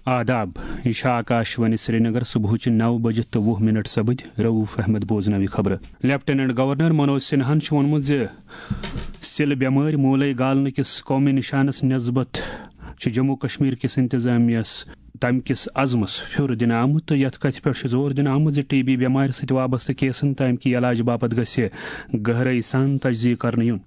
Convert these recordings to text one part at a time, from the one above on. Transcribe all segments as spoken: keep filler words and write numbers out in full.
آداب، یہِ چھِ آکاش وانی سرینگر۔ صبحٕچہِ نَو بجہِ تہٕ وُہ منٹ سپٕدۍ۔ رؤف احمد بوزناوِ خبرٕ۔ لیفٹیننٹ گورنر منوج سنہاہن چھُ ووٚنمُت زِ سِلہٕ بٮ۪مٲرۍ موٗلے گالنہٕ کِس قومی نِشانس نٮ۪سبت چھُ جموں کشمیر کِس انتظامیہس تَمہِ کِس عزمس پھیُر دِنہٕ آمُت تہٕ یَتھ کتھِ پٮ۪ٹھ چھُ زور دِنہٕ آمُت زِ ٹی بی بٮ۪مارِ سۭتۍ وابستہٕ کیسن تہٕ اَمہِ کہِ علاج باپتھ گژھِ گہرٲیی سان تجزیہ کرنہٕ یُن۔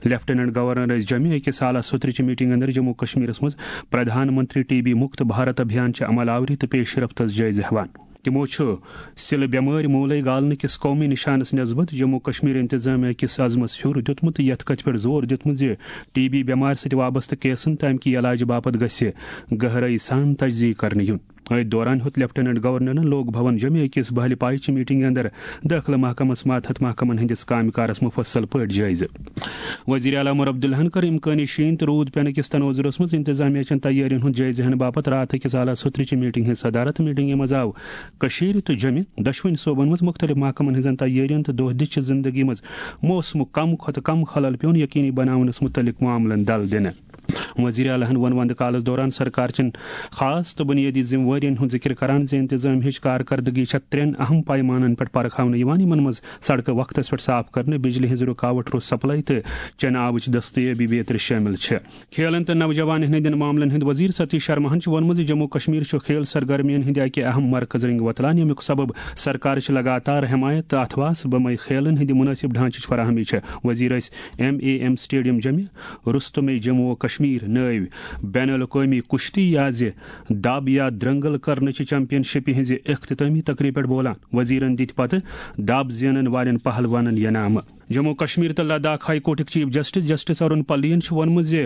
لیفٹیننٹ گورنر ٲسۍ جمعہ أکِس سالس سُترٕچہِ میٹنگ اندر جموں کشمیرس منٛز پردھان منتری ٹی بی مکت بھارت ابھیان چہِ عمل آوری تہٕ پیش رفتس جٲیزٕ ہٮ۪وان۔ تِمو چھُ سِلہٕ بٮ۪مٲرۍ موٗلے گالنہٕ کِس قومی نِشانس نٮ۪سبت جموں کشمیر انتظامیہ کِس عزمس پھیُر دیُتمُت تہٕ یَتھ کتھِ پٮ۪ٹھ زور دیُتمُت زِ ٹی بی بٮ۪مارِ سۭتۍ وابستہٕ کیسن تہٕ اَمہِ کہِ علاجہٕ باپتھ گژھِ گہرٲیی سان تجزیہ کرنہٕ یُن۔ أتھۍ دوران ہیوٚت لیفٹیننٹ گورنرن لوک بھون جمعہ أکِس بحلہِ پایہِ چہِ میٹنگہِ اندر دٲخلہٕ محکمس ماتحت محکمن ہٕنٛدِس کامہِ کارس مُفصل پٲٹھۍ جٲیزٕ۔ وزیر اعلیٰ عمر عبداللہن کٔر امکٲنی شیٖن تہٕ روٗد پینہٕ کِس تناظرس منٛز انتظامیہ چٮ۪ن تیٲرین ہُنٛد جٲیزٕ ہٮ۪نہٕ باپتھ راتھ أکِس اعلیٰ سُترٕچہِ میٹنگ ہٕنٛز صدارت۔ میٹنگہِ منٛز آو کٔشیٖرِ تہٕ جوٚمہِ دۄشوٕنی صوبن منٛز مُختٔلِف محکمن ہٕنٛزن تیٲرین تہٕ دۄہ دِشچہِ زندگی منٛز موسمُک کم کھۄتہٕ کم خلل پیوٚن یقینی بناونس مُتعلق معاملن دل دِنہٕ۔ وزیر اعلیٰ ہن ووٚن وندٕ کالس دوران سرکار چٮ۪ن خاص تہٕ بنیٲدی ذمہٕ وٲرین ہُنٛد ذِکر کران زِ انتظامیہٕچ کارکردگی چھےٚ ترٛٮ۪ن اہم پیمانن پٮ۪ٹھ پرکھاونہٕ یِوان، یِمن منٛز سڑکہٕ وقتس پٮ۪ٹھ صاف کرنہٕ، بجلی ہٕنٛز رُکاوٹ روٚس سپلائی تہٕ چٮ۪نہٕ آبٕچ دستیٲبی بیترِ شٲمِل چھِ۔ کھیلن تہٕ نوجوانن ہٕنٛدٮ۪ن معاملن ہٕنٛدۍ وزیر ستیش شرماہن چھُ ووٚنمُت زِ جموں کشمیر چھُ کھیل سرگرمین ہٕنٛدِ اکہِ اہم مرکز رنگہِ وۄتلان، ییٚمیُک سبب سرکار چھِ لگاتار حمایت تہٕ اتھواس بمے کھیلن ہٕنٛدِ مناسب ڈھانچٕچ فراہمی چھےٚ۔ وزیر ٲسۍ ایم اے ایم سٹیڈیم جمعہ رستم جموں و کشمیر نٲوۍ بین الاقوٲمی کُشتی یا زِ دب یا درنگل کرنہٕ چہِ چیمپین شپہِ ہٕنٛزِ اختتٲمی تقریبہِ پٮ۪ٹھ بولان۔ وزیرن دِتۍ پتہٕ دب زینن والٮ۪ن پہلوانن انعامہٕ۔ جموں کشمیر تہٕ لداخ ہائی کورٹٕکۍ چیف جسٹس جسٹس ارون پلین چھُ ووٚنمُت زِ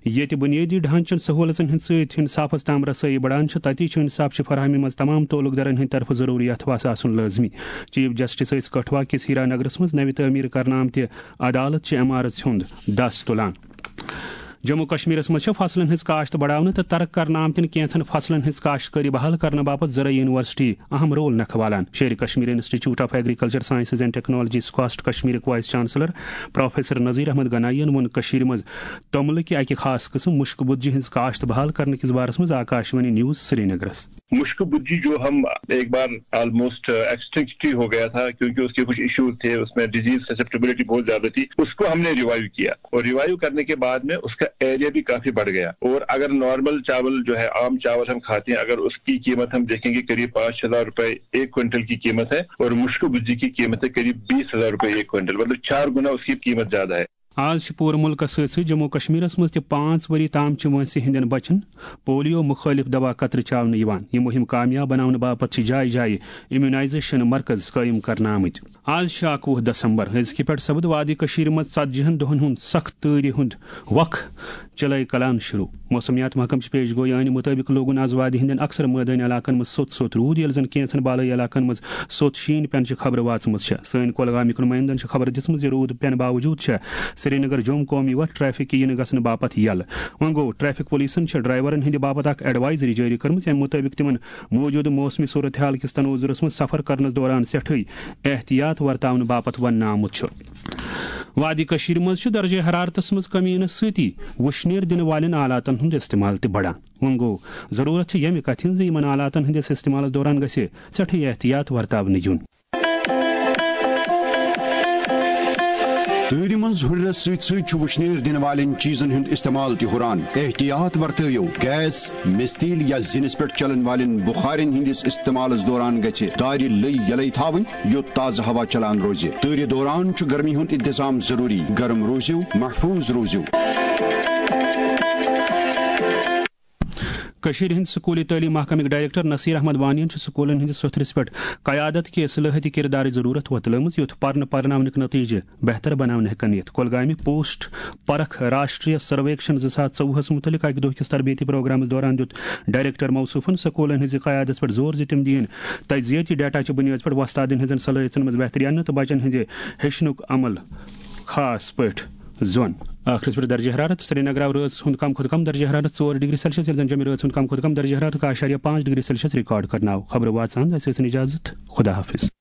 ییٚتہِ بُنیٲدی ڈھانچن سہوٗلژن ہٕنٛدۍ سۭتۍ ہٕنٛدۍ صافس تام رسٲیی بڑان چھِ، تتی چھُ انصاف چہِ فراہمی منٛز تمام تعلق دارن ہٕنٛدِ طرفہٕ ضروٗری اتھواس آسُن لٲزمی۔ چیف جسٹس ٲسۍ کٹھوا کِس ہیرا نگرس منٛز نوِ تعمیٖر کرنہٕ آمتہِ عدالت چہِ عمارژ ہُنٛد دس تُلان۔ جموں کشمیرس منٛز چھِ فصلن ہٕنٛز کاشت بڑاونہٕ تہٕ ترک کرنہٕ آمتٮ۪ن کینٛژن فصلن ہٕنٛز کاشتکٲری بحال کرنہٕ باپتھ زرعی یونیورسٹی اہم رول نکھٕ والان۔ Sher Kashmir institute of agriculture sciences and technology SKUAST کشمیرٕکۍ vice chancellor professor Nazir Ahmad Ganai یَن ووٚن کٔشیٖرِ منٛز توٚملہٕ کہِ اکہِ خاص قٕسم مُشکہٕ بُدجہِ ہٕنٛز کاشت بحال کرنہٕ کِس بارس منٛز آکاشوانی نیوز سرینگرس۔ مشکو بجی جو ہم ایک بار آلموسٹ ایکسٹنکٹ ہی ہو گیا تھا، کیونکہ اس کے کچھ ایشوز تھے، اس میں ڈیزیز سسیپٹیبلٹی بہت زیادہ تھی، اس کو ہم نے ریوائیو کیا۔ اور ریوائیو کرنے کے بعد میں اس کا ایریا بھی کافی بڑھ گیا۔ اور اگر نارمل چاول جو ہے، عام چاول ہم کھاتے ہیں، اگر اس کی قیمت ہم دیکھیں گے، قریب پانچ ہزار روپے ایک کوئنٹل کی قیمت ہے، اور مشکو بجی کی قیمت ہے قریب بیس ہزار روپے ایک کوئنٹل، مطلب چار گنا اس کی قیمت زیادہ ہے۔ آز چھِ پوٗرٕ مُلکَس سۭتۍ سۭتۍ جموں کشمیرَس منٛز تہِ پانٛژھ ؤری تام چھِ وٲنٛسہِ ہٕنٛدٮ۪ن بَچَن پولیو مُخٲلِف دوا قطرٕ چاونہٕ یِوان۔ یہِ مُہِم کامیاب بناونہٕ باپتھ چھِ جایہِ جایہِ امیونائزیشن مرکز قٲیِم کرنہٕ آمٕتۍ۔ آز چھِ اَکوُہ دسمبر۔ أزکہِ پٮ۪ٹھ سپُد وادی کٔشیٖرِ منٛز ژتجی ہن دۄہَن ہُنٛد سخت تۭرِ ہُنٛد وق چِلَے کلان شروع۔ موسمیات محکمہٕ چہِ پیش گویی مُطٲبِق لوگُن آز وادی ہٕنٛدٮ۪ن اکثر مٲدٲنی علاقن منٛز سوٚت سوٚت روٗد، ییٚلہِ زن کینٛژن بالٲیی علاقن منٛز سوٚت شیٖن پینہٕ چہِ خبرٕ واژمٕژ چھےٚ۔ سٲنۍ کۄلگامٕکۍ نُمٲیندن چھِ خبر دِژمٕژ زِ روٗد پٮ۪نہٕ باوجوٗد چھےٚ سرینگر جوم قومی وتھ ٹریفک کہِ یِنہٕ گژھنہٕ باپتھ یلہٕ۔ وۄنۍ گوٚو، ٹریفک پولیسن چھےٚ ڈرائیورن ہٕنٛدِ باپتھ اکھ ایڈوائزری جٲری کٔرمٕژ، ییٚمہِ مُطٲبِق تِمن موجودٕ موسمی صورتحال کِس تناظرس منٛز سفر کرنس دوران سٮ۪ٹھٕے احتیاط ورتاونہٕ باپتھ وننہٕ آمُت چھُ۔ وادی کٔشیٖرِ منٛز چھُ درجہ حرارتس منٛز کمی یِنس سۭتی وُشنیر دِنہٕ والٮ۪ن آلاتن ہُنٛد استعمال تہِ بڑان۔ وۄنۍ گوٚو، ضروٗرت چھِ ییٚمہِ کتھِ ہٕنٛز زِ یِمن آلاتن ہٕنٛدِس استعمالس دوران گژھِ سٮ۪ٹھٕے احتیاط ورتاونہٕ یُن۔ تۭرِ منٛز ہُرٮ۪رس سۭتۍ سۭتۍ چھُ وُشنیر دِنہٕ والٮ۪ن چیٖزن ہُنٛد استعمال تہِ ہُران۔ احتیاط ورتٲیِو، گیس، مِستیٖل یا زِنِس پٮ۪ٹھ چلن والٮ۪ن بُخارٮ۪ن ہٕنٛدِس استعمالس دوران گژھِ دارِ لٔے یلے تھاوٕنۍ، یوٚت تازٕ ہوا چلان روزِ۔ تۭرِ دوران چھُ گرمی ہُنٛد انتظام ضروٗری۔ گرم روٗزِو، محفوٗظ روٗزِو۔ کٔشیٖرِ ہٕنٛدۍ سکوٗلی تعلیٖم محکمٕکۍ ڈائریکٹر نصیر احمد وانیَن چھُ سکوٗلَن ہٕنٛدِس سوٚتھرِس پٮ۪ٹھ قیادت کہِ اصلاحٲتی کردارٕچ ضروٗرت وۄتلٲومٕژ، یُتھ پرنہٕ پرناونٕکۍ نتیجہٕ بہتر بناونہٕ ہٮ۪کن یِتھ۔ کۄلگامہِ پوسٹ پرکھ راشٹریہ سرویکشن زٕ ساس ژوٚوُہس مُتعلق اکہِ دۄہ کِس تربیتی پروگرامس دوران دیُت ڈائریکٹر موصوفن سکوٗلَن ہٕنٛزِ قیادتس پٮ۪ٹھ زور زِ تِم دِیِن تجزیٲتی ڈیٹا چہِ بُنیٲدِ پٮ۪ٹھ وۄستادن ہٕنٛزن صلٲحیژن منٛز بہتری اننہٕ تہٕ بچن ہٕنٛدِ ہیٚچھنُک عمل خاص پٲٹھۍ زون۔ ٲخرس پٮ۪ٹھ درجہ حرارت۔ سرینگر آو رٲژ ہُنٛد کم کھۄتہٕ کم درجہ حرارت ژور ڈگری سیلسیس، ییٚلہِ زن جوٚمہِ رٲژ ہُنٛد کم کھۄتہٕ کم درجہ حرارت کاہ اعشاریہ پانٛژھ ڈگری سیلسیس ریکارڈ کرنہٕ آو۔ خبرٕ واژ اند، اسہِ ٲسِن اجازت۔ خدا حافظ۔